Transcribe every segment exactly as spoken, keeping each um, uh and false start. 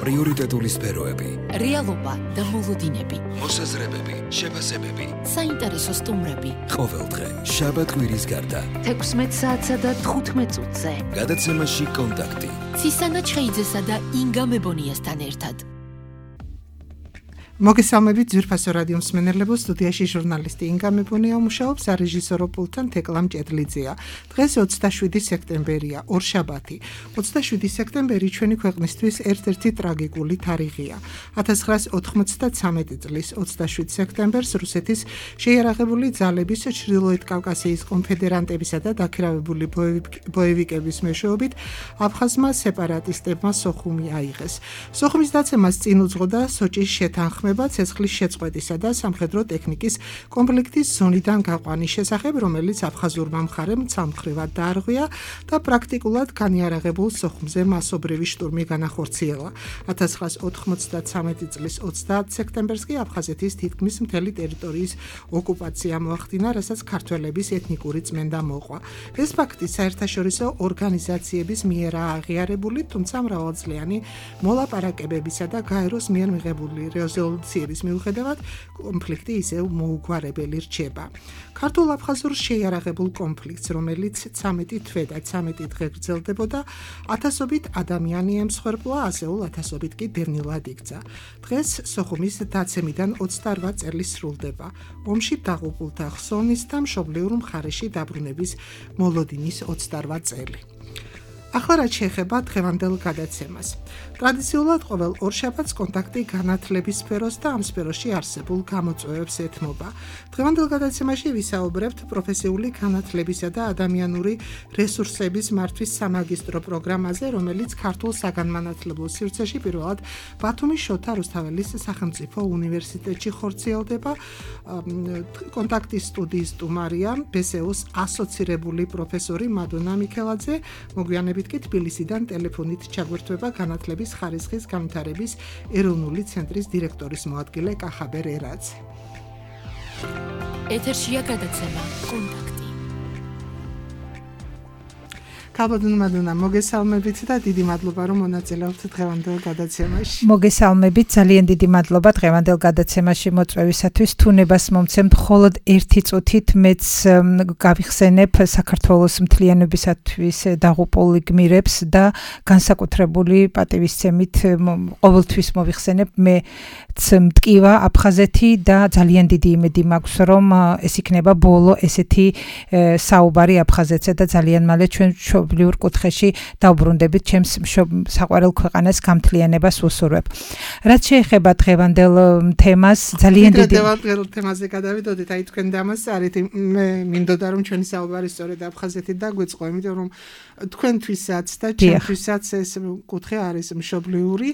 პრიორიტეტული სფეროები, რეალობა და მოლოდინები, მოსაზრებები, შეფასებები, საინტერესო სტუმრები. ყოველდღე, შაბათ-კვირის გარდა, თექვსმეტ საათსა და თხუთმეტ წუთზე. გადაცემაში კონტაქტი. ცისანა ჩხეიძესა და ინგა მებონიასთან ერთად. მოგესალმებით ძვირფასო რადიო მსმენელებო, სტუდიაში ჟურნალისტი ინგა მებონია მუშაობს, რეჟისორო პულტთან თეკლამ ჭედლიძეა. დღეს ოცდაშვიდი სექტემბერია, ორშაბათი. ოცდაშვიდი სექტემბერი ჩვენი ქვეყნისთვის ერთ-ერთი ტრაგიკული თარიღია. ათას ცხრაასი ოთხმოცდათვრამეტი წლის ოცდაშვიდ სექტემბერს რუსეთის შეიარაღებული ძალების ჩრდილოეთ კავკასიის კონფედერანტებისა და დაქირავებული ბოევიკების მეშვეობით აფხაზმა სეპარატისტებმა სოხუმი აიღეს. სოხუმის დაცემას წინ უძღოდა სოჭის შეთანხმება ცეცხლის შეწყვეტისა და სამხედრო ტექნიკის კონფლიქტის ზონიდან გაყვანის შესახებ, რომელიც აფხაზურმა მხარემ ცალმხრივად დაარღვია და პრაქტიკულად განიარაღებულ სოხუმზე მასობრივი შტურმი განახორციელა. ათას ცხრაასი ოთხმოცდათვრამეტი წლის ოცდაათი სექტემბერს კი აფხაზეთის თითქმის მთელი ტერიტორიის ოკუპაცია მოახდინა, რასაც ქართველების ეთნიკური წმენდა მოყვა. ეს ფაქტი საერთაშორისო ორგანიზაციების მიერაა აღიარებული, თუმცა მრავალწლიანი მოლაპარაკებებისა და გაეროს მიერ მიღებული რეზოლუციის მიუხედავად კონფლიქტი ისევ მოუგვარებელი რჩება. ქართულ-აფხაზურ შეიარაღებულ კონფლიქტს, რომელიც ცამეტი თვე და ცამეტი დღე გრძელდებოდა, ათასობით ადამიანი ემსხვერპლა, ასეულ ათასობით კი დევნილად იქცა. დღეს სოხუმის დაცემიდან ოცდაორ წელი სრულდება. ომში დაღუპულთა ხსოვნის და მშობლიურ მხარეში დაბრუნების მოლოდინის ოცდაორ წელი. ახლა რაც შეეხება დღევანდელ გადაცემას. ტრადიციულად ყოველ ორშაბათს კონტაქტი განათლების სფეროს და ამ სფეროში არსებულ გამოწვევებს ეთმობა. დღევანდელ გადაცემაში ვისაუბრებთ პროფესიული განათლებისა და ადამიანური რესურსების მართვის სამაგისტრო პროგრამაზე, რომელიც ქართულ საგანმანათლებლო სივრცეში პირველად ბათუმის შოთა რუსთაველის სახელმწიფო უნივერსიტეტში ხორციელდება. კონტაქტის სტუდიის სტუმარია ბესეოს ასოცირებული პროფესორი მადონა მიქელაძე, მოგვიანებით კი თბილისიდან ტელეფონით ჩაგვერთვება განათლების ხარისხის განვითარების ეროვნული ცენტრის დირექტორის მოადგილე კახაბერ ერაძე. ეთერშია გადაცემა კონტაქტი. ქალბატონო მადონა, მოგესალმებით და დიდი მადლობა რომ მონაწილეობთ დღევანდელ გადაცემაში. მოგესალმებით, ძალიან დიდი მადლობა დღევანდელ გადაცემაში მოწვევისათვის. თუნებას მომცემთ მხოლოდ ერთი წუთით მეც გავიხსენებ საქართველოს მთლიანობისათვის დაღუპულ გმირებს და განსაკუთრებული პატივისცემით ყოველთვის მოვიხსენებ მე მტკივა აფხაზეთი და ძალიან დიდი იმედი მაქვს რომ ეს იქნება ბოლო ესეთი საუბარი აფხაზეთზე და ძალიან მალე ჩვენ მშობლიურ კუთხეში დავბრუნდებით ჩემს საყვარელ ქვეყანას გამთლიანებას უსურვებ. რაც შეეხება დღევანდელ თემას, ძალიან დიდი დღევანდელ თემაზე გადავიდოდით, აი თქვენ დამასწარით, მე მინდოდა რომ ჩვენი საუბარი სწორედ აფხაზეთით დაგვეწყო, იმიტომ რომ თქვენთვისაც და ჩემთვისაც ეს კუთხე არის მშობლიური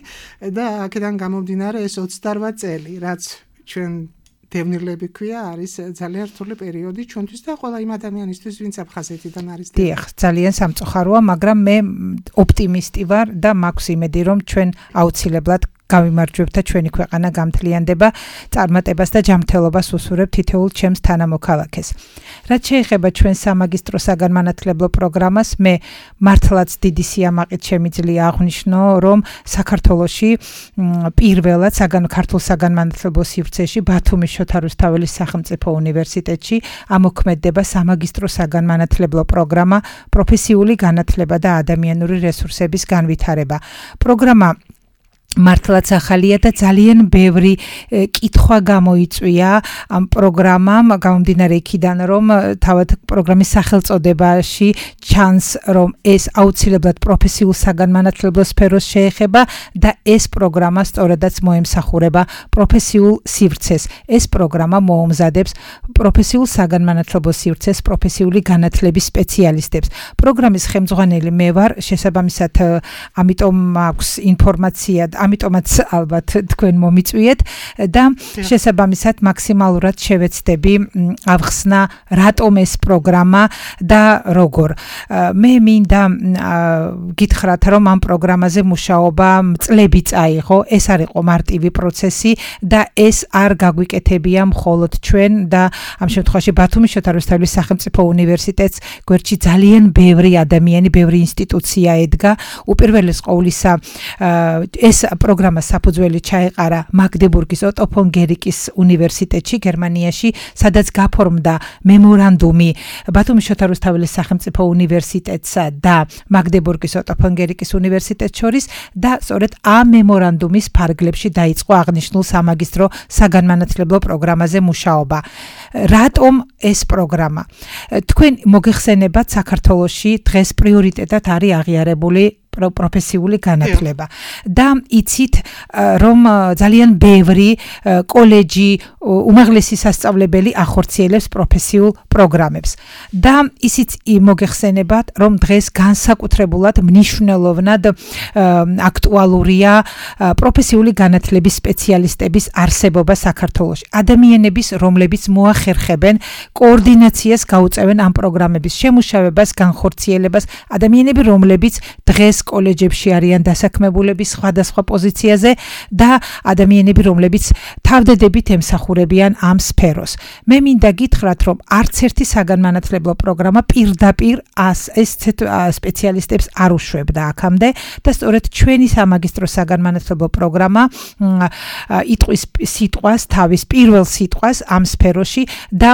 და აქედან გამომდინარე ეს ოცდაორ წელი, რაც ჩვენ დევნილები ქვია, არის ძალიან რთული პერიოდი ჩვენთვის და ყველა იმ ადამიანისთვის, ვინც აფხაზეთიდან არის. დიახ, ძალიან სამწუხაროა, მაგრამ მე ოპტიმისტი ვარ და მაქვს იმედი, რომ ჩვენ აუცილებლად გავიმარჯვებთ და ჩვენი ქვეყანა გამთლიანდება, წარმატებას და ჯანმრთელობას უსურვებ თითოეულ ჩემს თანამოქალაქეს. რაც შეეხება ჩვენ სამაგისტრო საგანმანათლებლო პროგრამას, მე მართლაც დიდი სიამაყით შემიძლია აღვნიშნო, რომ საქართველოში პირველად საგან ქართულ საგანმანათლებლო სივრცეში ბათუმის შოთა რუსთაველის სახელმწიფო უნივერსიტეტში ამოქმედდება სამაგისტრო საგანმანათლებლო პროგრამა პროფესიული განათლება და ადამიანური რესურსების განვითარება. პროგრამა მართლაც ახალია და ძალიან ბევრი კითხვა გამოიწვია ამ პროგრამამ, გამომდინარე იქიდან, რომ თავად პროგრამის სახელწოდებაში ჩანს, რომ ეს აუცილებლად პროფესიულ საგანმანათლებლო სფეროს შეეხება და ეს პროგრამა სწორედაც მოემსახურება პროფესიულ სივრცეს. ეს პროგრამა მოუმზადებს პროფესიულ საგანმანათლებლო სივრცეს პროფესიული განათლების სპეციალისტებს. პროგრამის ხელმძღვანელი მე ვარ, შესაბამისად ამიტომ აქვს ინფორმაცია ამიტომაც ალბათ თქვენ მომიწვიეთ და შესაბამისად მაქსიმალურად შევეცდები ავხსნა რატომ ეს პროგრამა და როგორ. მე მინდა გითხრათ რომ ამ პროგრამაზე მუშაობა წლები წაიღო, ეს არ იყო მარტივი პროცესი და ეს არ გაგვიკეთებია მხოლოდ ჩვენ და ამ შემთხვევაში ბათუმის შოთა რუსთაველის სახელმწიფო უნივერსიტეტს გვერდში ძალიან ბევრი ადამიანი, ბევრი ინსტიტუცია ედგა. უპირველეს ყოვლისა ეს პროგრამა საფუძველი ჩაეყარა მაგდებურგის ოტო ფონ გერიკის უნივერსიტეტში გერმანიაში, სადაც გაფორმდა მემორანდუმი ბათუმის შოთა რუსთაველის სახელმწიფო უნივერსიტეტსა და მაგდებურგის ოტო ფონ გერიკის უნივერსიტეტს შორის და სწორედ ამ მემორანდუმის ფარგლებში დაიწყო აღნიშნულ სამაგისტრო საგანმანათლებლო პროგრამაზე მუშაობა. რატომ ეს პროგრამა? თქვენ მოგეხსენებათ, საქართველოში დღეს პრიორიტეტად არის აღიარებული პროფესიული განათლება და იცით რომ ძალიან ბევრი კოლეჯი, უმაღლესი სასწავლებელი ახორციელებს პროფესიულ პროგრამებს და ისიც მოგეხსენებათ რომ დღეს განსაკუთრებულად მნიშვნელოვნად აქტუალურია პროფესიული განათლების სპეციალისტების არსებობა საქართველოში. ადამიანების, რომლებიც მოახერხებენ კოორდინაციას, გაუწევენ ამ პროგრამების შემუშავებას, განხორციელებას, ადამიანები, რომლებიც დღეს კოლეჯებში არიან დასაქმებულები სხვადასხვა პოზიციაზე და ადამიანები, რომლებიც თავდადებით ემსახურებიან ამ სფეროს. მე მინდა გითხრათ, რომ არც ერთი საგანმანათლებლო პროგრამა პირდაპირ ეს სპეციალისტებს არ უშვებდა აქამდე და სწორედ ჩვენი სამაგისტრო საგანმანათლებლო პროგრამა იტყვის სიტყვას, თავის პირველ სიტყვას ამ სფეროში და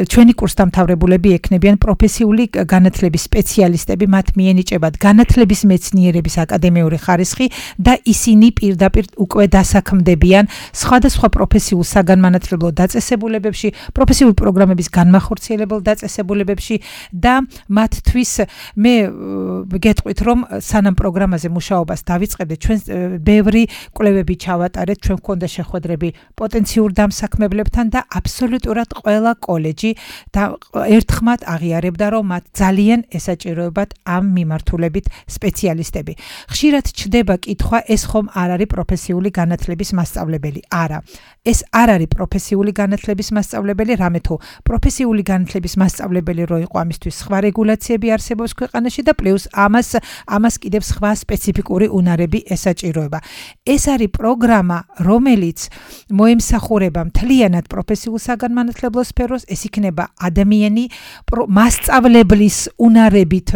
ჩვენი კურსდამთავრებულები ექნებიან პროფესიული განათლების სპეციალისტები, მათ მიენიჭებათ განათლების მეცნიერების აკადემიური ხარისხი და ისინი პირდაპირ უკვე დასაქმდებიან სხვადასხვა პროფესიულ საგანმანათლებლო დაწესებულებებში, პროფესიული პროგრამების განმახორციელებელ დაწესებულებებში და მათთვის მე გეტყვით, რომ სანამ პროგრამაზე მუშაობას დავიწყებდით, ჩვენ ბევრი კვლევები ჩავატარეთ, ჩვენ გვქონდა შეხვედრები პოტენციურ დამსაქმებლებთან და აბსოლუტურად ყველა კოლეჯი და ერთხმად აღიარებდა, რომ მათ ძალიან ესაჭიროებათ ამ მიმართულებით სპეციალისტები. ხშირად ჩდება კითხვა, ეს ხომ არ არის პროფესიული განათლების მასწავლებელი? არა. ეს არ არის პროფესიული განათლების მასწავლებელი, რამე თუ პროფესიული განათლების მასწავლებელი რო იყო, ამისთვის სხვა რეგულაციები არსებობს ქვეყანაში და პლუს ამას ამას კიდევ სხვა სპეციფიკური უნარები ესაჭიროება. ეს არის პროგრამა, რომელიც მოემსახურება მთლიანად პროფესიულ საგანმანათლებლო სფეროს, ეს იქნება ადამიანი მასწავლებლის უნარებით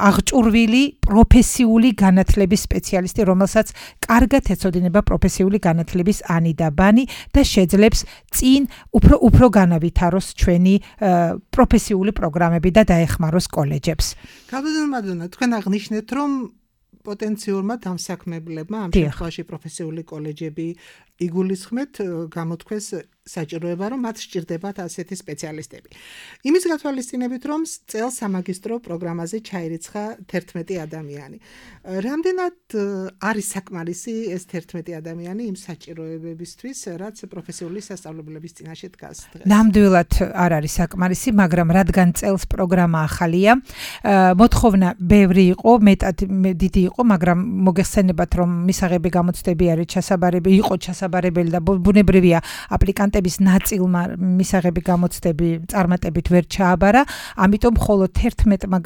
აღჭურვილი პროფესიული განათლების სპეციალისტი, რომელსაც კარგად ეცოდინება პროფესიული განათლების ანი და ბანი და შეძლებს წინ უფრო უფრო განავითაროს ჩვენი პროფესიული პროგრამები და დაეხმაროს კოლეჯებს. გაბედონმადონა, თქვენ აღნიშნეთ, რომ პოტენციურმა დამსაქმებლებმა ამ შემთხვევაში პროფესიული კოლეჯები იგულისხმეთ, გამოთქვეს საჭიროება, რომ მათ სჭირდებათ ასეთი სპეციალისტები. იმის გათვალისწინებით, რომ წელს სამაგისტრო პროგრამაზე ჩაირიცხა თერთმეტი ადამიანი. რამდენად არის საკმარისი ეს თერთმეტი ადამიანი იმ საჭიროებებისთვის, რაც პროფესიული სასწავლებლების წინაშე დგას დღეს? ნამდვილად არ არის საკმარისი, მაგრამ რადგან წელს პროგრამა ახალია, მოთხოვნა ბევრი იყო, მეტად დიდი იყო, მაგრამ მოგეხსენებათ, რომ მისაღები გამოცდები არის ჩასაბარებელი, იყო ჩასაბარებელი და ბუნებრივია აპლიკანტები ნაწილმა მისაღები გამოცდები წარმატებით ვერ ჩააბარა, ამიტომ მხოლოდ თერთმეტმა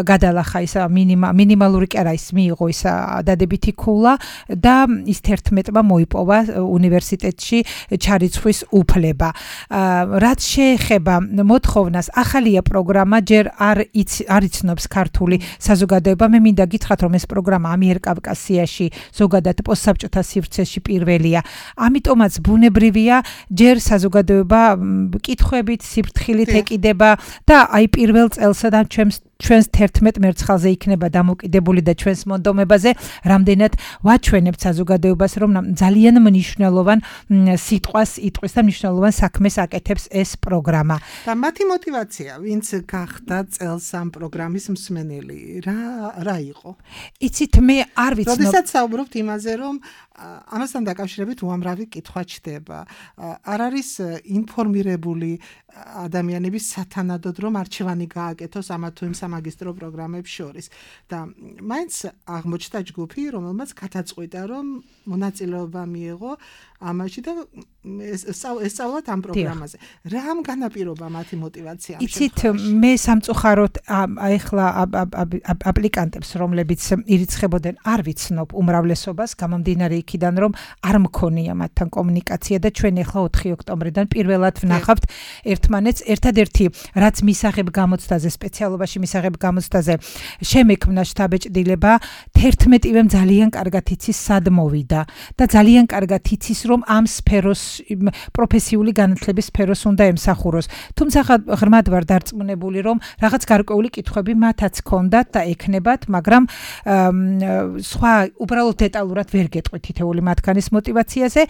გადალახა ის მინიმალური კი არა, ის მიიღო ის დადებითი ქულა და ის თერთმეტმა მოიპოვა უნივერსიტეტში ჩარიცხვის უფლება. რაც შეეხება მოთხოვნას, ახალია პროგრამა, ჯერ არ იცნობს ქართული საზოგადოება. მე მინდა გითხრათ, რომ ეს პროგრამა ამიერკავკასიაში, ზოგადად პოსტსაბჭოთა სივრცეში პირველია. ამიტომაც ბუნებრივია ჯერ საზოგადოება კითხვებით, სიფრთხილით ეკიდება და აი პირველ წელსადან ჩვენს ჩვენს თერთმეტ მერცხალზე იქნება დამოკიდებული და ჩვენს მონდომებაზე, რამდენად ვაჩვენებთ საზოგადოებას, რომ ძალიან მნიშვნელოვან სიტყვას იტყვის და მნიშვნელოვან საქმეს აკეთებს ეს პროგრამა. და მათი мотиваცია, ვინც გახდა წელს ამ პროგრამის მსმენელი, რა რა იყო? იცით, მე არ ვიცნობ. როდესაც საუბრობთ იმაზე, რომ ამასთან დაკავშირებით უამრავი კითხვა ჩდება. არ არის ინფორმირებული ადამიანების სათანადოდ, რომ არჩევანი გააკეთოს ამა თუ იმ სამაგისტრო პროგრამებს შორის. და მაინც აღმოჩნდა ჯგუფი, რომელმაც გადაწყვიტა, რომ მონაწილეობა მიიღო ამაში და ესწავლათ ამ პროგრამაზე. რა ამ განაპირობა მათი мотиваცია? იცით, მე სამწუხაროდ ახლა აპლიკანტებს, რომლებიც ირიცხებოდნენ, არ ვიცნობ უმრავლესობას, გამომდინარე იქიდან, რომ არ მქონია მათთან კომუნიკაცია და ჩვენ ახლა ოთხი ოქტომბრიდან პირველად ვნახავთ ერთმანეთს. ერთადერთი, რაც მისაღებ გამოცდაზე, სპეციალობაში მისაღებ გამოცდაზე შემექმნა შტაბეჭდილება, თერთმეტივე ძალიან კარგად იცის სად მოვიდა და ძალიან კარგად იცის, რომ ამ სფეროს პროფესიული განათლების სფეროს უნდა ემსახუროს. თუმცა ღრმად ვარ დარწმუნებული, რომ რაღაც გარკვეული კითხვები მათაც ჰქონდათ და ექნებათ, მაგრამ სხვა უბრალოდ დეტალურად ვერ გეტყვით თითეული მათგანის мотиваციაზე.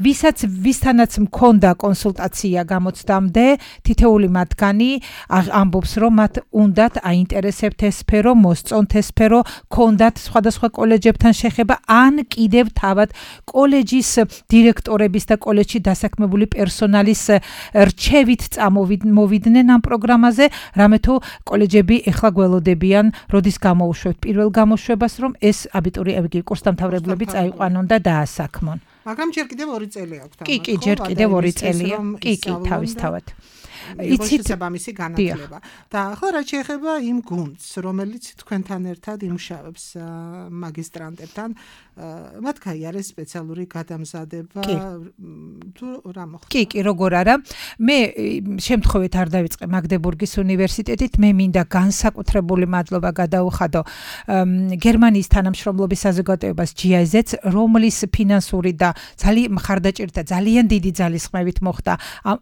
ვისაც ვისთანაც მქონდა კონსულტაცია გამოცდამდე, თითეული მათგანი ამბობს, რომ მათ უნდათ აინტერესებთ ეს სფერო, მოსწონთ ეს სფერო, ქონდათ სხვადასხვა კოლეჯებთან შეხება, ან კიდევ თავად კოლეჯის დირექტორების და კოლეჯში დასაქმებული პერსონალის რჩევით წამოვიდნენ ამ პროგრამაზე, რამე თუ კოლეჯები ეხლა გველოდებიან, როდის გამოუშვებთ პირველ გამოშვებას, რომ ეს აბიტურიენტები, კურსდამთავრებლები წაიყვანონ და დაასაქმონ. მაგრამ ჯერ კიდევ ორი წელი აქვს. კი, კი, ჯერ კიდევ ორი წელია. კი, კი, თავისთავად. იცით ამისი განათლება. და ახლა რა შეეხება იმ გუნდს, რომელიც თქვენთან ერთად იმუშავებს მაგისტრანტებთან, მათ გაიარეს სპეციალური გადამზადება თუ რა მოხდა? კი, კი, როგორ არა. მე შემთხვევით არ დავიწყე მაგდებურგის უნივერსიტეტით, მე მინდა განსაკუთრებული მადლობა გადაუხადო გერმანიის თანამშრომლობის საზოგადოებას ჯი აი ზედს, რომლის ფინანსური და ძალიან მხარდაჭერით და ძალიან დიდი ძალისხმევით მოხდა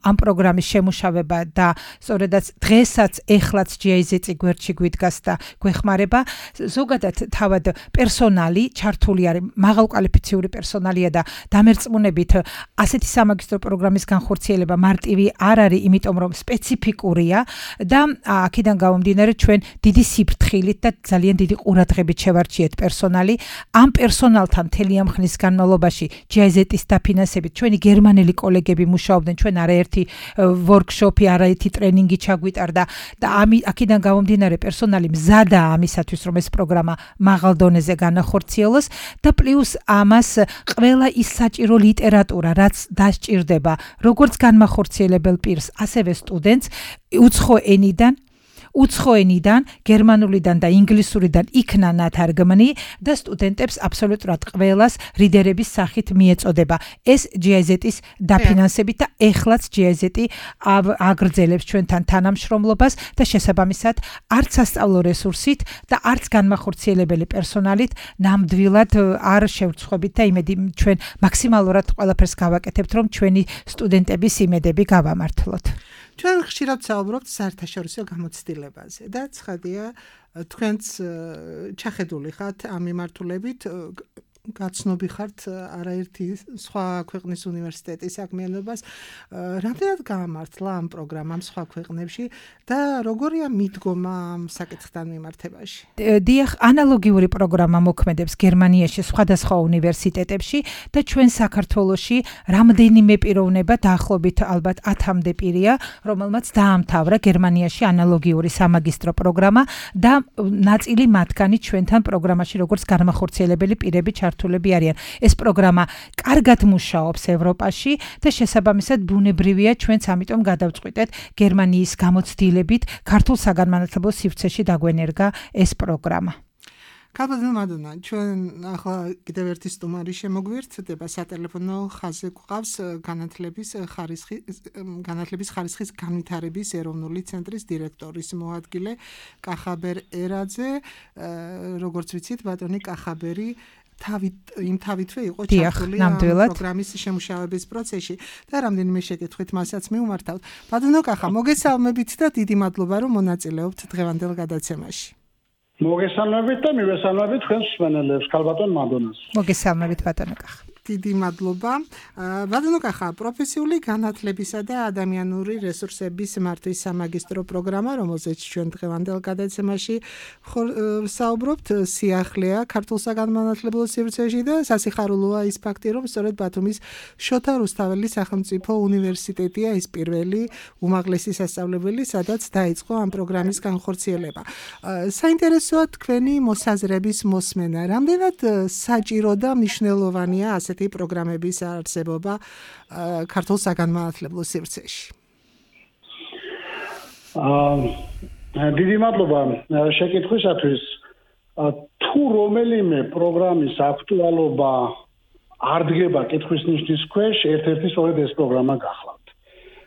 ამ პროგრამის შემუშავება და სწორედაც დღესაც ეხლაც ჯი აი ზედს გვერდში გვიდგას და გვეხმარება. ზოგადად თავად პერსონალი ჩართული არის, მაღალკვალიფიციური პერსონალია და დამერწმუნებით ასეთი სამაგისტრო პროგრამის განხორციელება მარტივი არ არის, იმიტომ რომ სპეციფიკურია და აქედან გამომდინარე ჩვენ დიდი სიფრთხილით და ძალიან დიდი ყურადღებით შევარჩიეთ პერსონალი. ამ პერსონალთან მთელი ამ ხნის განმავლობაში ჯი აი ზედის დაფინანსებით ჩვენი გერმანელი კოლეგები მუშაობდნენ, ჩვენ არაერთი ვორქშოპი, არაერთი ტრენინგი ჩაგვიტარდა და აქედან გამომდინარე პერსონალი მზადაა ამისათვის, რომ ეს პროგრამა მაღალ დონეზე განახორციელოს და პლუს ამას ყველა ის საჭირო ლიტერატურა, რაც დასჭირდება როგორც განმახორციელებელ პირს, ასევე სტუდენტს უცხო ენიდან უცხო ენიდან, გერმანულიდან და ინგლისურიდან იქნა ნათარგმნი და სტუდენტებს აბსოლუტურად ყველას რიდერების სახით მიეწოდება. ეს ჯი აი ზედის დაფინანსებით და ეხლაც ჯი აი ზედი აგრძელებს ჩვენთან თანამშრომლობას და შესაბამისად არც სასწავლო რესურსით და არც განმახორციელებელი პერსონალით ნამდვილად არ შევრცხვებით და იმედი ჩვენ მაქსიმალურად ყველაფერს გავაკეთებთ, რომ ჩვენი სტუდენტების იმედები გავამართლოთ. ჩვენ ხშირად საუბრობთ საერთაშორისო გამოცდილებაზე და ცხადია თქვენც ჩახედული ხართ ამ მიმართულებით, გაცნობი ხართ არაერთი სხვა ქვეყნის უნივერსიტეტის საქმიანობას. რამდენად გაამართლა ამ პროგრამამ სხვა ქვეყნებში და როგორია მიდგომა ამ საკითხთან მიმართებაში? დიახ, ანალოგიური პროგრამა მოქმედებს გერმანიაში სხვადასხვა უნივერსიტეტებში და ჩვენ საქართველოში რამდენიმე პიროვნება დაახლოებით ალბათ ათამდე პირია, რომელმაც დაამთავრა გერმანიაში ანალოგიური სამაგისტრო პროგრამა და ნაწილი მათგანი ჩვენთან პროგრამაში როგორც განმახორციელებელი პირები ჩართულები არიან. ეს პროგრამა კარგად მუშაობს ევროპაში და შესაბამისად ბუნებრივია ჩვენც ამიტომ გადავწყვიტეთ გერმანიის გამოცდილებით ქართულ საგანმანათლებლო სივრცეში დაგვენერგა ეს პროგრამა. ქალბატონო მადონა, ჩვენ ახლა კიდევ ერთი სტუმარი შემოგვიერთდება, სატელეფონო ხაზზე გვყავს განათლების ხარისხის განათლების ხარისხის განვითარების ეროვნული ცენტრის დირექტორის მოადგილე კახაბერ ერაძე. როგორც ვიცით, ბატონი კახაბერი თავით იმ თავითვე იყო ჩართული ამ პროგრამის შემუშავების პროცესში და რამდენიმე შეკითხვით მასაც მივმართავთ. ბატონო კახა, მოგესალმებით და დიდი მადლობა, რომ მონაწილეობთ დღევანდელ გადაცემაში. მოგესალმებით და მივესალმებით თქვენს მსმენელებს, ქალბატონ მადონას. მოგესალმებით ბატონო კახა. დიდი მადლობა. ბატონო კახა, პროფესიული განათლებისა და ადამიანური რესურსების მართვის სამაგისტრო პროგრამა, რომელზეც ჩვენ დღევანდელ გადაცემაში საუბრობთ, სიახლეა ქართულ საგანმანათლებლო სივრცეში და სასიხარულოა ის ფაქტი, რომ სწორედ ბათუმის შოთა რუსთაველის სახელმწიფო უნივერსიტეტია ის პირველი უმაღლესი სასწავლებელი, სადაც დაიწყო ამ პროგრამის განხორციელება. საინტერესოა თქვენი მოსაზრების მოსმენა. რამდენად საჭირო და მნიშვნელოვანია ასეთი ესეთი პროგრამების არსებობა ქართულ საგანმანათლებლო სივრცეში? აა დიდი მადლობა შეკითხვისათვის. თუ რომელიმე პროგრამის აქტუალობა არ დგება კითხვის ნიშნის ქვეშ, ერთ-ერთი სწორედ ეს პროგრამა გახლავთ.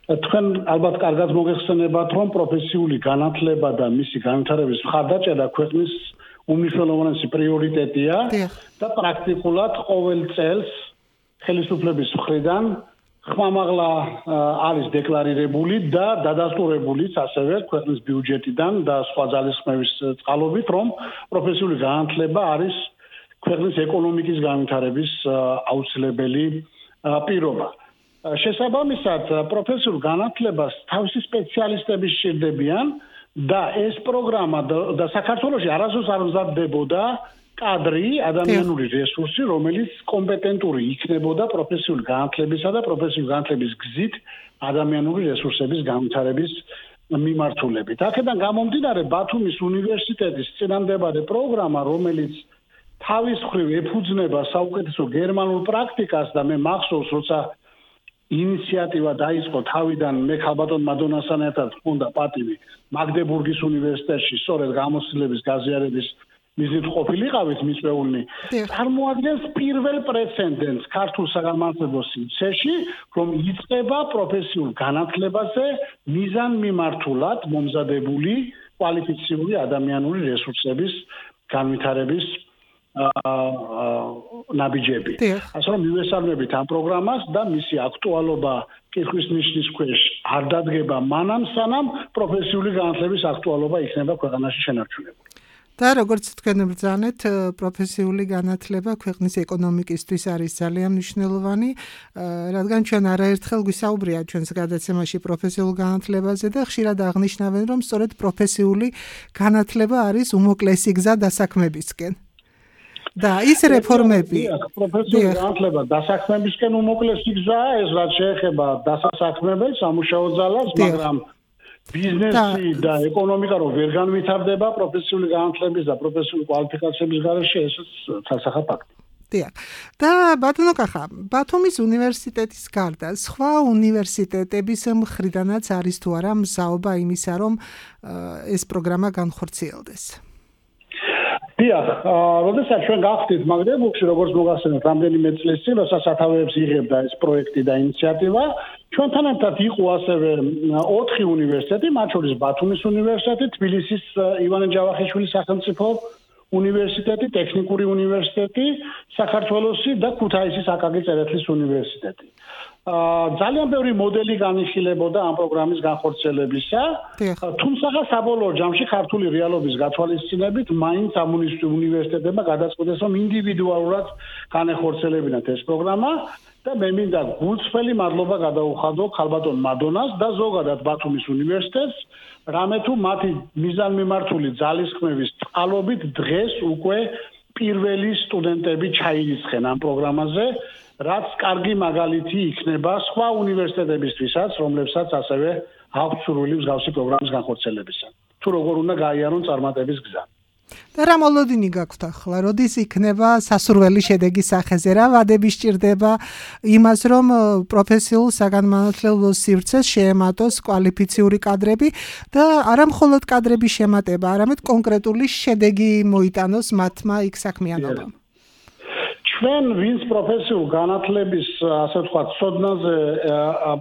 თქვენ ალბათ კარგად მოგეხსენებათ, რომ პროფესიული განათლება და მისი განვითარების მხარდაჭერა ქვეყნის უმნიშვნელოვანესი პრიორიტეტია და პრაქტიკულად ყოველ წელს ხელისუფლების მხრიდან ხმამაღლა არის დეკლარირებული და დადასტურებულიც ასევე ქვეყნის ბიუჯეტიდან და სხვა ძალისხმევის წყალობით, რომ პროფესიული განათლება არის ქვეყნის ეკონომიკის განვითარების აუცილებელი პირობა. შესაბამისად, პროფესიულ განათლებას თავისი სპეციალისტები სჭირდებიან და ეს პროგრამა და საქართველოში არასდროს არ მზადდებოდა კადრი, ადამიანური რესურსი, რომელიც კომპეტენტური იქნებოდა პროფესიული განათლებისა და პროფესიული განათლების გზით ადამიანური რესურსების განვითარების მიმართულებით. აქედან გამომდინარე, ბათუმის უნივერსიტეტის წინამდებარე პროგრამა, რომელიც თავის მხრივ ეფუძნება საუკეთესო გერმანულ პრაქტიკას და მე მახსოვს, როცა ინიციატივა დაიწყო თავიდან მე ქალბატონ მადონასთან ერთად მქონდა პატივი მაგდებურგის უნივერსიტეტში სწორედ გამოცდილების გაზიარების მიზნით ყოფილიყავით მიწვეულნი, წარმოადგენს პირველ პრეცედენტს ქართულ საგანმანათლებლო სივრცეში, რომ იწყება პროფესიულ განათლებაზე მიზანმიმართულად მომზადებული კვალიფიციური ადამიანური რესურსების განვითარების ნაბიჯები. ასე რომ მივესალმებით ამ პროგრამას და მისი აქტუალობა კითხვის ნიშნის ქვეშ არ დადგება მანამ, სანამ პროფესიული განათლების აქტუალობა იქნება ქვეყანაში შენარჩუნებული. და როგორც თქვენ ბრძანეთ, პროფესიული განათლება ქვეყნის ეკონომიკისთვის არის ძალიან მნიშვნელოვანი, რადგან ჩვენ არაერთხელ გვისაუბრია ჩვენს გადაცემაში პროფესიულ განათლებაზე და ხშირად აღნიშნავენ, რომ სწორედ პროფესიული განათლება არის უმოკლესი გზა დასაქმებისკენ. და ის რეფორმები პროფესიული განათლება დასაქმებისკენ უმოკლესი გზაა, ეს რაც შეეხება დასასაქმებელს, სამუშაო ძალას, მაგრამ ბიზნესი და ეკონომიკა რომ ვერ განვითარდება პროფესიული განათლების და პროფესიული კვალიფიკაციების გარეშე, ესეც თასახა ფაქტი. დიახ. და ბატონო კახა, ბათუმის უნივერსიტეტის გარდა სხვა უნივერსიტეტების მხრიდანაც არის თუ არა მზაობა იმისა, რომ ეს პროგრამა განხორციელდეს? დიახ, როდესაც ჩვენ გავხდით მაგდებურგში, როგორც მოგახსენებთ, რამდენიმე წლის წინ, როცა სათავეებს იღებდა ეს პროექტი და ინიციატივა, ჩვენთან ერთად იყო ასევე ოთხი უნივერსიტეტი, მათ შორის ბათუმის უნივერსიტეტი, თბილისის ივანე ჯავახიშვილის სახელმწიფო უნივერსიტეტი, ტექნიკური უნივერსიტეტი, საქართველოსი და ქუთაისის აკაკი წერეთლის უნივერსიტეტი. ძალიან ბევრი მოდელი განიხილებოდა ამ პროგრამის განხორციელებისა, თუმცა საბოლოო ჯამში ქართული რეალობის გათვალისწინებით მაინც ამ უნივერსიტეტებმა გადაწყვიტეს, რომ ინდივიდუალურად განეხორციელებინათ ეს პროგრამა და მე მინდა გულწრფელი მადლობა გადაუხადო ქალბატონ მადონას და ზოგადად ბათუმის უნივერსიტეტს, რამე თუ მათი მიზანმიმართული ძალისხმევის წყალობით დღეს უკვე პირველი სტუდენტები ჩაირიცხენ ამ პროგრამაზე, რაც კარგი მაგალითი იქნება სხვა უნივერსიტეტებისთვისაც, რომლებსაც ასევე აქვთ სურვილი მსგავსი პროგრამის განხორციელებისა. თუ როგორ უნდა გაიარონ წარმატების გზა. და რა მოლოდინი გაქვთ ახლა? როდის იქნება სასურველი შედეგი სახეზე? რა ვადები სჭირდება იმას, რომ პროფესიულ საგანმანათლებლო სივრცეს შეემატოს კვალიფიციური კადრები და არა მხოლოდ კადრების შემატება, არამედ კონკრეტული შედეგი მოიტანოს მათმა იქ საქმიანობამ. ჩვენ ვინც პროფესიულ განათლების, ასე ვთქვათ, ცოდნაზე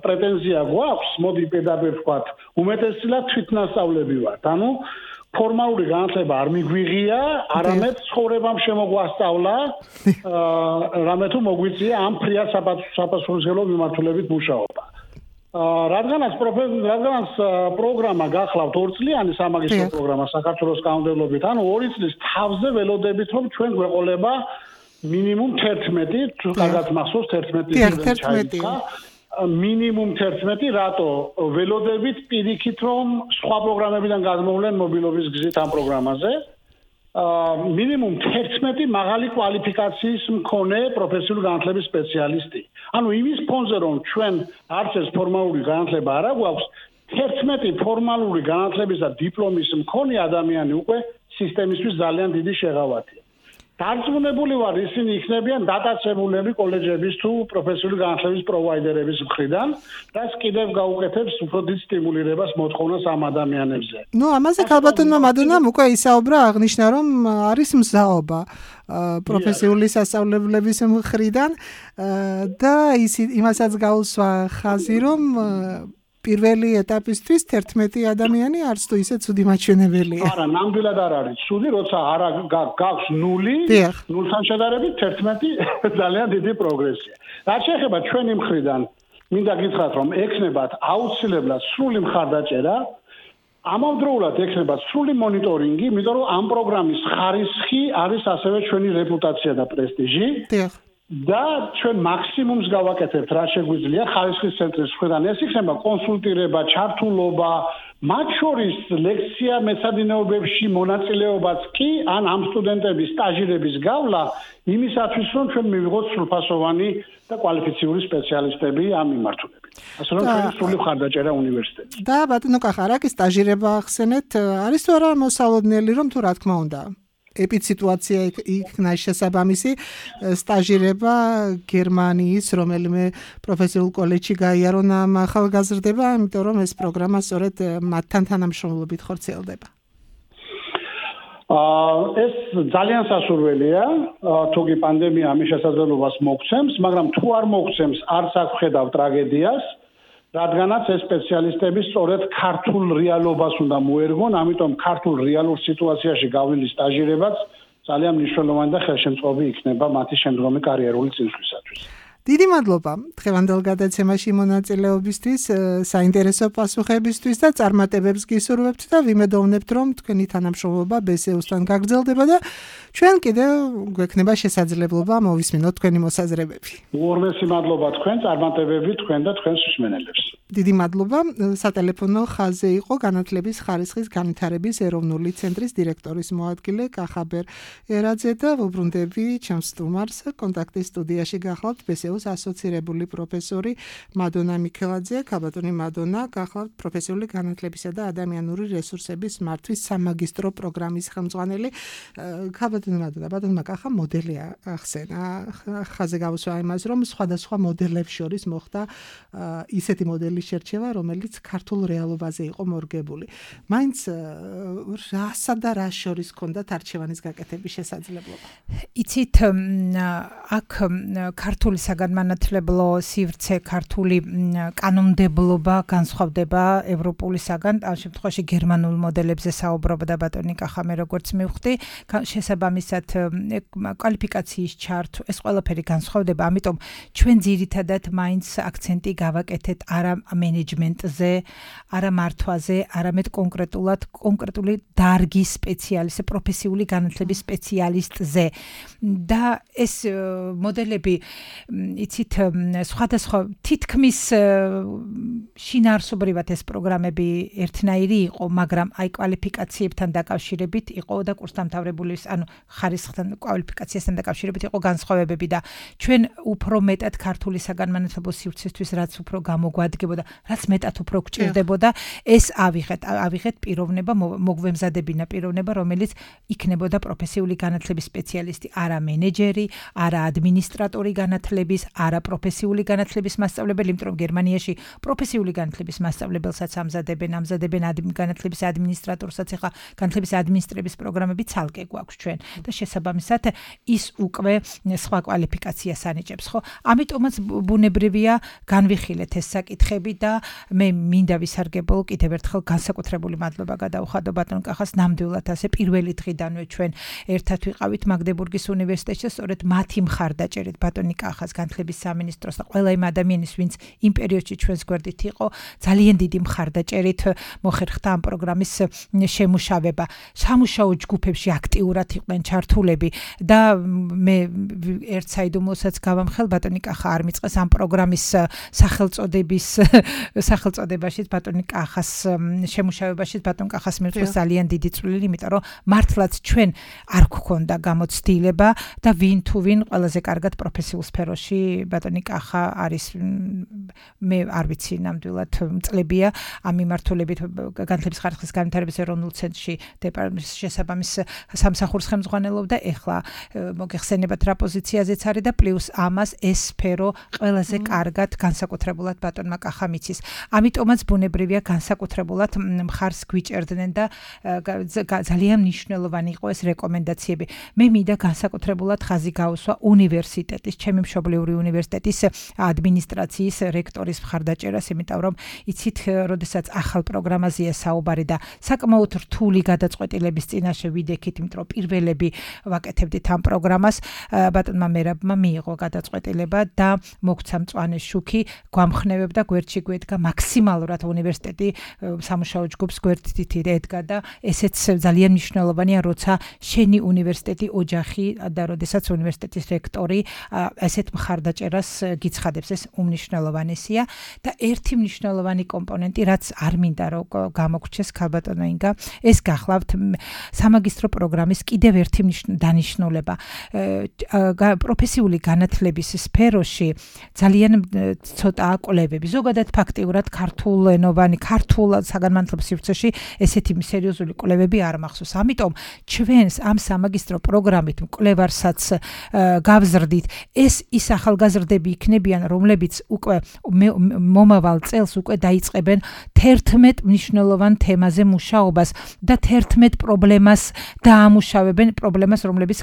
პრეტენზია გვაქვს, მოდი პირდაპირ ვთქვათ, უმეტესწილად თვითნასწავლები ვართ. ანუ ფორმალური განათლება არ მიგვიღია, არამედ ცხოვრებამ შემოგვასწავლა, რამე თუ მოგვიწია ამ ფრიად საპასუხისმგებლო მიმართულებით მუშაობა. რადგანაც რადგანაც პროგრამა გახლავთ ორწლიანი სამაგისტრო პროგრამა საქართველოს კანონმდებლობით, ანუ ორი წლის თავზე ველოდებით, რომ ჩვენ გვეყოლება მინიმუმ თერთმეტი, თუ კარგად მახსოვს თერთმეტი ჩაიწყა. მინიმუმ თერთმეტი, რატო ველოდებით პირიქით, რომ სხვა პროგრამებიდან გადმოვლენ მობილობის გზით ამ პროგრამაზე. მინიმუმ თერთმეტი მაღალი კვალიფიკაციის მქონე პროფესიული განათლების სპეციალისტი. ანუ იმის ფონზე, რომ ჩვენ არც ეს ფორმალური განათლება არ აქვს, თერთმეტი ფორმალური განათლების და დიპლომის მქონე ადამიანი უკვე სისტემისთვის ძალიან დიდი შეღავათია. დარწმუნებული ვარ, ისინი იქნებიან დატაცებულები კოლეჯების თუ პროფესიული განათლების პროვაიდერების მხრიდან, რაც კიდევ გაუკეთებს უფრო დიდ სტიმულირებას მოთხოვნას ამ ადამიანებზე. ნუ ამაზე ქალბატონმა მადონამ უკვე ისაუბრა, აღნიშნა რომ არის მზაობა პროფესიული სასწავლებლების მხრიდან და ის იმასაც გაუსვა ხაზი, რომ პირველი ეტაპისთვის თერთმეტი ადამიანი არც თუ ისე ცუდი მაჩვენებელია. არა, ნამდვილად არ არის ცუდი, როცა არა გაქვს ნული, ნულთან შედარებით თერთმეტი ძალიან დიდი პროგრესია. რაც შეეხება ჩვენი მხრიდან, მინდა გითხრათ, რომ ექნებათ აუცილებლად სრული მხარდაჭერა, ამავდროულად ექნებათ სრული მონიტორინგი, იმიტომ რომ ამ პროგრამის ხარისხი არის ასევე ჩვენი რეპუტაცია და პრესტიჟი. და ჩვენ მაქსიმუმს გავაკეთებთ, რა შეგვიძლია ხარისხის ცენტრის მხრიდან. ეს იქნება კონსულტირება, ჩართულობა, მათ შორის ლექცია მეცადინეობებში მონაწილეობაც კი, ან ამ სტუდენტების სტაჟირების გავლა, იმისათვის რომ ჩვენ მივიღოთ სრულფასოვანი და კვალიფიციური სპეციალისტები ამ მიმართულებით. ასე რომ ჩვენ სრული მხარდაჭერა უნივერსიტეტში. და ბატონო კახარაკი სტაჟირება ახსენეთ, არის თუ არა მოსალოდნელი, რომ თუ რა თქმა უნდა ეპიციტუაცია იქნა შესაბამისი სტაჟირება გერმანიის რომელიმე პროფესიულ კოლეჯში გაიარონ ამ ახალგაზრდება, იმიტომ რომ ეს პროგრამა სწორედ მათთან თანამშრომლობით ხორციელდება. ეს ძალიან სასურველია, თუკი პანდემია ამის შესაძლებლობას მოგცემს, მაგრამ თუ არ მოგცემს, არც აქ ვხედავ ტრაგედიას, რადგანაც ეს სპეციალისტები სწორედ ქართულ რეალობას უნდა მოერგონ, ამიტომ ქართულ რეალურ სიტუაციაში გავლილი სტაჟირებაც ძალიან მნიშვნელოვანი და ხელშემწყობი იქნება მათი შემდგომი კარიერული წინსვლისათვის. დიდი მადლობა დღევანდელ გადაცემაში მონაწილეობისთვის, საინტერესო პასუხებისთვის და წარმატებებს გისურვებთ და ვიმედოვნებთ, რომ თქვენი თანამშრომლობა ბე ეს იუსთან გაგრძელდება და ჩვენ კიდევ გვექნება შესაძლებლობა მოვისმინოთ თქვენი მოსაზრებები. უორმესი მადლობა თქვენ, წარმატებები თქვენ და თქვენს მსმენელებს. დიდი მადლობა. სატელეფონო ხაზზე იყო განათლების ხარისხის განვითარების ეროვნული ცენტრის დირექტორის მოადგილე კახაბერ ერაძე და ვუბრუნდები ჩემს სტუმარს კონტაქტის სტუდიაში გახლავთ ბე ეს იუს ასოცირებული პროფესორი მადონა მიქელაძე. ქალბატონი მადონა გახლავთ პროფესიული განათლებისა და ადამიანური რესურსების მართვის სამაგისტრო პროგრამის ხელმძღვანელი. ქალბატონი მადონა, ბატონმა კახა მოდელი ახსენა. ხაზე გავუსვა იმას, რომ სხვადასხვა მოდელებს შორის მოხდა ისეთი მოდელი შერჩევა, რომელიც ქართულ რეალობაზე იყო მორგებული. მაინც რასა და რა შორის ჰქონდათ არჩევანის გაკეთების შესაძლებლობა? იცით, აქ ქართული საგანმანათლებლო სივრცე, ქართული კანონმდებლობა განსხვავდება ევროპულისაგან, ამ შემთხვევაში გერმანულ მოდელებზე საუბრობდა ბატონი კახა, მე როგორც მივხვდი, შესაბამისად კვალიფიკაციის ჩართვა, ეს ყველაფერი განსხვავდება, ამიტომ ჩვენ ძირითადად მაინც აქცენტი გავაკეთეთ არა მენეჯმენტზე, არა მართვაზე, არამედ კონკრეტულად კონკრეტული დარგის სპეციალისტზე, პროფესიული განათლების სპეციალისტზე. და ეს მოდელები, იცით, სხვადასხვა თითქმის შინაარსობრივად ეს პროგრამები ერთნაირი იყო, მაგრამ აი კვალიფიკაციებთან დაკავშირებით იყო და კურსდამთავრებულის, ანუ ხარისხთან კვალიფიკაციასთან დაკავშირებით იყო განსხვავებები და ჩვენ უფრო მეტად ქართული საგანმანათლებლო სივრცისთვის რაც უფრო გამოგვადგებოდა, რაც მეტად უფრო გჭირდებოდა, ეს ავიღეთ, ავიღეთ პიროვნება, მოგვემზადებინა პიროვნება, რომელიც იქნებოდა პროფესიული განათლების სპეციალისტი, არა მენეჯერი, არა ადმინისტრატორი განათლების, არა პროფესიული განათლების მასწავლებელი, იმიტომ რომ გერმანიაში პროფესიული განათლების მასწავლებელსაც ამზადებენ, ამზადებენ განათლების ადმინისტრატორსაც, ახლა განათლების ადმინისტრების პროგრამები ცალკე გვაქვს ჩვენ და შესაბამისად ის უკვე სხვა კვალიფიკაციას ანიჭებს, ხო? ამიტომაც ბუნებრივია განვიხილეთ ეს საკითხები და მე მინდა ვისარგებლო კიდევ ერთხელ განსაკუთრებული მადლობა გადაუხადო ბატონ კახას, ნამდვილად ასე პირველი დღიდანვე ჩვენ ერთად ვიყავით მაგდებურგის უნივერსიტეტში, სწორედ მათი მხარდაჭერით ბატონი კახას, განათლების სამინისტროს და ყველა იმ ადამიანის, ვინც იმ პერიოდში ჩვენს გვერდით იყო, ძალიან დიდი მხარდაჭერით მოხერხდა ამ პროგრამის შემუშავება. სამუშაო ჯგუფებში აქტიურად იყვნენ ჩართულები და მე ერთ საიდუმლოსაც გავამხელ, ბატონი კახა არ მიწყეს ამ პროგრამის სახელწოდების სახელწოდებაში ბატონი კახას შემუშავებაში ბატონ კახას მიწყეს ძალიან დიდი წვლილი, იმიტომ რომ მართლაც ჩვენ არ გვქონდა გამოცდილი განხორციელება და ვინ თუ ვინ ყველაზე კარგად პროფესიულ სფეროში ბატონი კახა არის მე არ ვიცი ნამდვილად წლებია ამ მიმართულებით განათლების ხარისხის განვითარების ეროვნულ ცენტრში დეპარტამენტის შესაბამის სამსახურს ხელმძღვანელობდა ეხლა მოგეხსენებათ რა პოზიციაზეც არის და პლუს ამას ეს სფერო ყველაზე კარგად განსაკუთრებულად ბატონმა კახამ იცის ამიტომაც ბუნებრივია განსაკუთრებულად მხარს გვიჭერდნენ და ძალიან მნიშვნელოვანი იყო ეს რეკომენდაციები მე მინდა განსაკუთრებულად ხაზი გაუსვა უნივერსიტეტის ჩემი მშობლიური უნივერსიტეტის ადმინისტრაციის რექტორის მხარდაჭერას იმიტომ რომ იცით როდესაც ახალ პროგრამაზეა საუბარი და საკმაოდ რთული გადაწყვეტილების წინაშე ვიდექით იმიტომ რომ პირველები ვაკეთებდით ამ პროგრამას ბატონმა მერაბმა მიიღო გადაწყვეტილება და მოგცა მწვანე შუქი გვამხნევებდა გვერდში გვედგა მაქსიმალურად უნივერსიტეტი სამუშაო ჯგუფს გვერდით ედგა და ესეც ძალიან მნიშვნელოვანია როცა შენი უნივერსიტეტი ოჯახი და როდესაც უნივერსიტეტის რექტორი ესეთ მხარდაჭერას გიცხადებს ეს უმნიშვნელოვანესია და ერთი მნიშვნელოვანი კომპონენტი რაც არ მინდა რომ გამოგრჩეს ქალბატონო ინგა ეს გახლავთ სამაგისტრო პროგრამის კიდევ ერთი დანიშნულება პროფესიული განათლების სფეროში ძალიან ცოტაა კვლევები ზოგადად ფაქტიურად ქართულენოვანი ქართულ საგანმანათლებლო სივრცეში ესეთი სერიოზული კვლევები არ მახსოვს ამიტომ ჩვენს ამ სამაგისტრო პროგრამით მკვლევარსაც გავზრდით ეს ის ახალგაზრდები იქნებიან რომლებიც უკვე მომავალ წელს უკვე დაიწყებენ თერთმეტ მნიშვნელოვან თემაზე მუშაობას და თერთმეტ პრობლემას დაამუშავებენ პრობლემას რომლებიც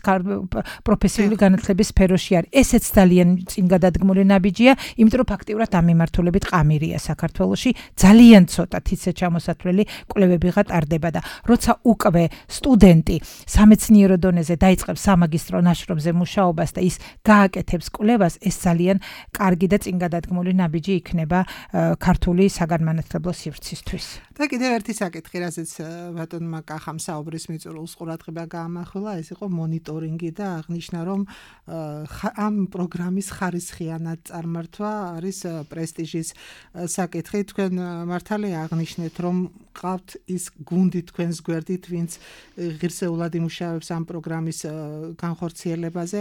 პროფესიული განათლების სფეროში არის ესეც ძალიან წინ გადადგმული ნაბიჯია იმიტომ რომ ფაქტიურად ამ მიმართულებით ყამირია საქართველოში ძალიან ცოტა თიცე ჩამოსათვლელი კვლევებიღა ტარდება და როცა უკვე სტუდენტი სამეცნიერო დონეზე დაიწყებს სამაგისტრო ნაშრომზე მუშაობას და ის გააკეთებს კვლევას ეს ძალიან კარგი და წინ გადადგმული ნაბიჯი იქნება ქართული საგანმანათლებლო სივრცისთვის და კიდევ ერთი საკითხი რასაც ბატონმა კახამ საუბრის მიწურულს ყურადღება გაამახვილა ეს იყო მონიტორინგი და აღნიშნა რომ ამ პროგრამის ხარისხიანად წარმართვა არის პრესტიჟის საკითხი თქვენ მართალია აღნიშნეთ რომ ყავთ ის გუნდი თქვენს გვერდით ვინც ღირსეულად იმუშავებს ამ პროგრამის განხორციელებაზე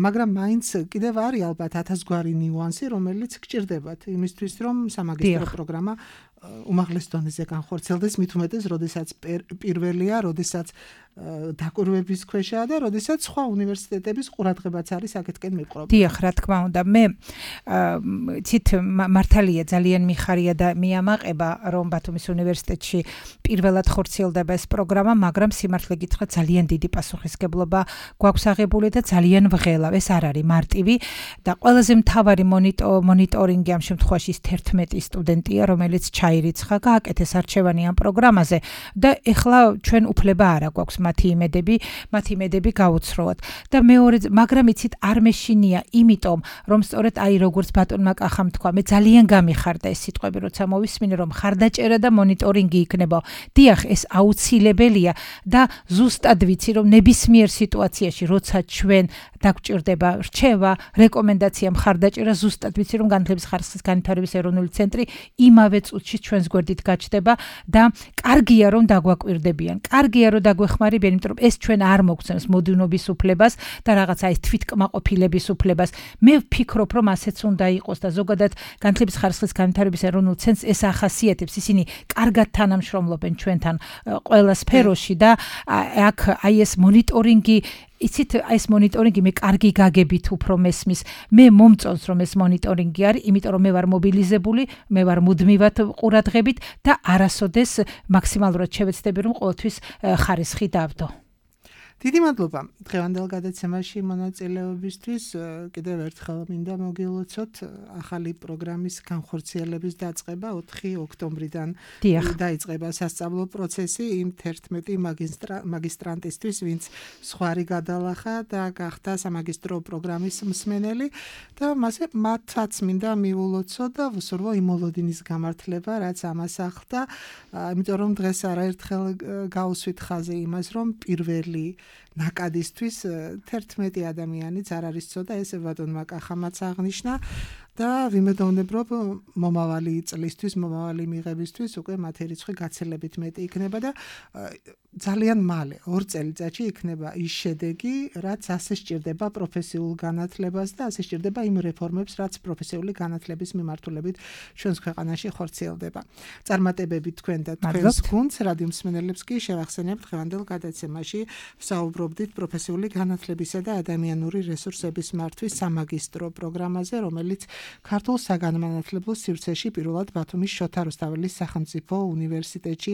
მაგრამ მაინც კიდევ არის ალბათ ათასგვარი ნიუანსი რომელიც გჭირდებათ იმისთვის რომ სამაგისტრო პროგრამა უმაღლეს დონეზე განხორციელდეს მით უმეტეს როდესაც პირველია როდესაც დაკვირვების ქვეშაა და როდესაც სხვა უნივერსიტეტების ყურადღებაც არის აქეთკენ მიყრობილი. დიახ, რა თქმა უნდა, მე ცით მართალია ძალიან მიხარია და მიამაყება რომ ბათუმის უნივერსიტეტში პირველად ხორციელდება ეს პროგრამა, მაგრამ სიმართლე გითხრათ ძალიან დიდი პასუხისგებლობა გვაქვს აღებული და ძალიან ვღელავ. ეს არ არის მარტივი და ყველაზე მთავარი მონიტორინგი ამ შემთხვევაში ის თერთმეტი სტუდენტია, რომელიც ჩაირიცხა, გააკეთეს არჩევანი ამ პროგრამაზე და ეხლა ჩვენ უფლება არ აქვს მათი იმედები, მათი იმედები გაუცროოთ. და მეორე, მაგრამ იცით არ მეშინია, იმიტომ რომ სწორედ აი როგორც ბატონმა კახამ თქვა, მე ძალიან გამიხარდა ეს სიტყვები, როცა მოვისმინე რომ ხარდაჭერა და მონიტორინგი იქნება. დიახ, ეს აუცილებელია და ზუსტად ვიცი რომ ნებისმიერ სიტუაციაში, როცა ჩვენ დაგვჭირდება რჩევა, რეკომენდაცია, მხარდაჭერა, ზუსტად ვიცი რომ განათლების ხარისხის განვითარების ეროვნული ცენტრი იმავე წუთში ჩვენს გვერდით გაჩნდება და კარგია რომ დაგვაკვირდებიან. კარგია რომ დაგვეხმარებიან, იმიტომ რომ ეს ჩვენ არ მოგცემს მოდივნობის უფლებას და რაღაცა ეს თვითკმაყოფილების უფლებას. მე ვფიქრობ რომ ასეც უნდა იყოს და ზოგადად განათლების ხარისხის განვითარების ეროვნულ ცენტრს ეს ახასიათებს. ისინი კარგად თანამშრომლობენ ჩვენთან ყველა სფეროში და აქ აი ეს მონიტორინგი იცით ეს მონიტორინგი მე კარგი გაგებით უფრო მესმის. მე მომწონს რომ ეს მონიტორინგი არის, იმიტომ რომ მე ვარ მობილიზებული, მე ვარ მუდმივად ყურადღებით და არასოდეს მაქსიმალურად შევეცდები რომ ყოველთვის ხარისხი დავდო. დიდი მადლობა დღევანდელ გადაცემაში მონაწილეობისთვის. კიდევ ერთხელ მინდა მოგილოცოთ ახალი პროგრამის განხორციელების დაწყება ოთხი ოქტომბრიდან დაიწყება სასწავლო პროცესი იმ თერთმეტი მაგისტრანტისთვის, ვინც სხვარი გადალახა და გახდა სამაგისტრო პროგრამის მსმენელი და მასე მათაც მინდა მიულოცო და ვუსურვო იმოლოდინის გამართლება, რაც ამას ახლდა, იმიტომ რომ დღეს არაერთხელ გავუსვით ხაზი იმას, რომ პირველი ნაკადისთვის თერთმეტი ადამიანიც არ არის ცოტა, ესე ბატონმა კახამაც აღნიშნა და ვიმედოვნებ, რომ მომავალი წლისთვის, მომავალი მიღებისთვის უკვე მათი რიცხვი გაცილებით მეტი იქნება და ძალიან მალე, ორ წელიწადში იქნება ის შედეგი, რაც ასე სჭირდება პროფესიულ განათლებას და ასე სჭირდება იმ რეფორმებს, რაც პროფესიული განათლების მიმართულებით ჩვენს ქვეყანაში ხორციელდება. წარმატებებით თქვენ და თქვენს გუნდს, რადიო მსმენელებს კი შევახსენებთ დღევანდელ გადაცემაში ვსაუბრობდით პროფესიული განათლებისა და ადამიანური რესურსების მართვის სამაგისტრო პროგრამაზე, რომელიც ქართულ საგანმანათლებლო სივრცეში პირველად ბათუმის შოთა რუსთაველის სახელმწიფო უნივერსიტეტში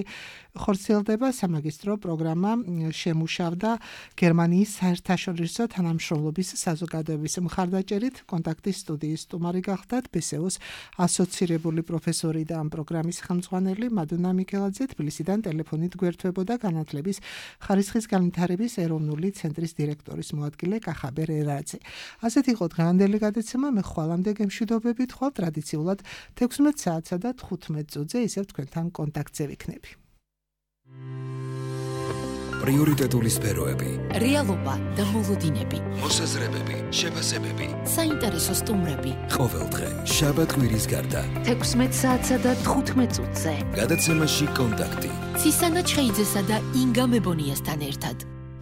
ხორციელდება. სამაგისტრო პროგრამა შემუშავდა გერმანიის საერთაშორისო თანამშრომლობის საზოგადოების მხარდაჭერით. კონტაქტის სტუდიის სტუმარი გახდათ ბესეოს ასოცირებული პროფესორი და ამ პროგრამის ხელმძღვანელი მადონა მიქელაძე. თბილისიდან ტელეფონით გვერდთვებოდა განათლების ხარისხის განვითარების ეროვნული ცენტრის დირექტორის მოადგილე კახაბერ ერაძე. ასეთ იყო დღევანდელი გადაცემა. მე ხვალამდე გემშვიდობები თქვა ტრადიციულად თექვსმეტ საათსა და თხუთმეტ წუთზე ისევ თქვენთან კონტაქტზე ვიქნები. პრიორიტეტული სფეროები, რეალობა და მოლოდინები, მოსაზრებები, შეფასებები, საინტერესო სტუმრები. ყოველდღე შაბათ კვირის გარდა თექვსმეტ საათსა და თხუთმეტ წუთზე. გადაცემაში კონტაქტი. ცისანა ჩხეიძესა და ინგა მებონიასთან ერთად.